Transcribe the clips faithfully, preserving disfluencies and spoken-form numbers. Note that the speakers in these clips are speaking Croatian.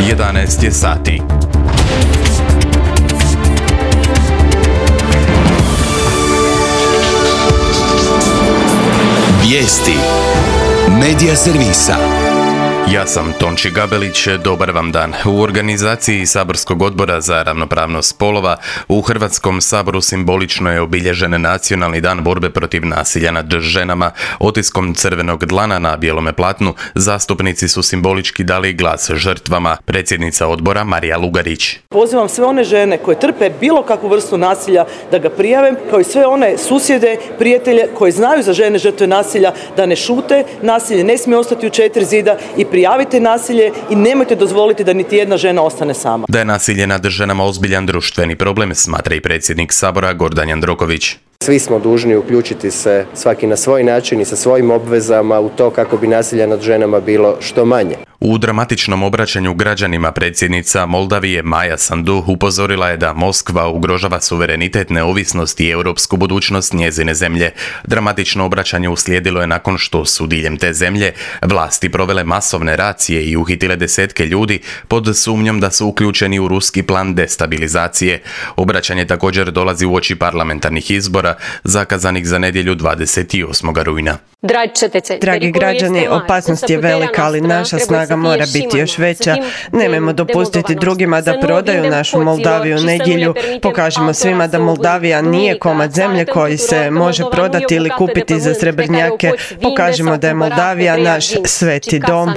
jedanaest je sati. Vijesti Medija servisa. Ja sam Tonči Gabelić, dobar vam dan. U organizaciji Saborskog odbora za ravnopravnost spolova u Hrvatskom saboru simbolično je obilježen Nacionalni dan borbe protiv nasilja nad ženama. Otiskom crvenog dlana na bijelome platnu zastupnici su simbolički dali glas žrtvama. Predsjednica odbora Marija Lugarić. Pozivam sve one žene koje trpe bilo kakvu vrstu nasilja da ga prijave, kao i sve one susjede, prijatelje koji znaju za žene žrtve nasilja da ne šute. Nasilje ne smije ostati u četiri zida i prijavite nasilje i nemojte dozvoliti da niti jedna žena ostane sama. Da je nasilje nad ženama ozbiljan društveni problem, smatra i predsjednik Sabora Gordan Jandroković. Svi smo dužni uključiti se svaki na svoj način i sa svojim obvezama u to kako bi nasilja nad ženama bilo što manje. U dramatičnom obraćanju građanima predsjednica Moldavije Maja Sandu upozorila je da Moskva ugrožava suverenitet, neovisnost i europsku budućnost njezine zemlje. Dramatično obraćanje uslijedilo je nakon što su diljem te zemlje vlasti provele masovne racije i uhitile desetke ljudi pod sumnjom da su uključeni u ruski plan destabilizacije. Obraćanje također dolazi uoči parlamentarnih izbora zakazanih za nedjelju dvadeset osmog rujna. Dragi građani, opasnost je velika, ali naša snaga mora biti još veća. Nemojmo dopustiti drugima da prodaju našu Moldaviju u nedjelju. Pokažimo svima da Moldavija nije komad zemlje koji se može prodati ili kupiti za srebrnjake. Pokažimo da je Moldavija naš sveti dom.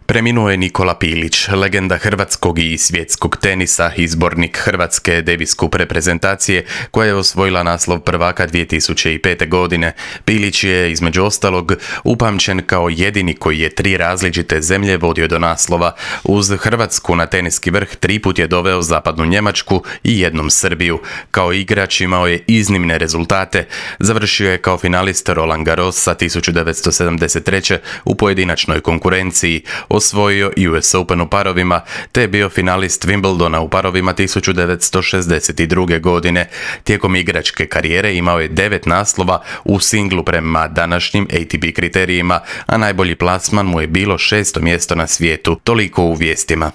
Preminuo je Nikola Pilić, legenda hrvatskog i svjetskog tenisa, izbornik Hrvatske Davis Cup reprezentacije koja je osvojila naslov prvaka dvije tisuće pete. godine. Pilić je između ostalog upamćen kao jedini koji je tri različite zemlje vodio do naslova. Uz Hrvatsku na teniski vrh tri put je doveo zapadnu Njemačku i jednom Srbiju. Kao igrač imao je iznimne rezultate. Završio je kao finalist Roland Garrosa tisuću devetsto sedamdeset treće. u pojedinačnoj konkurenciji. Osvojio U S Open u parovima, te je bio finalist Wimbledona u parovima tisuću devetsto šezdeset druge. godine. Tijekom igračke karijere imao je devet naslova u singlu prema današnjim A T P kriterijima, a najbolji plasman mu je bilo šesto mjesto na svijetu. Toliko u vijestima.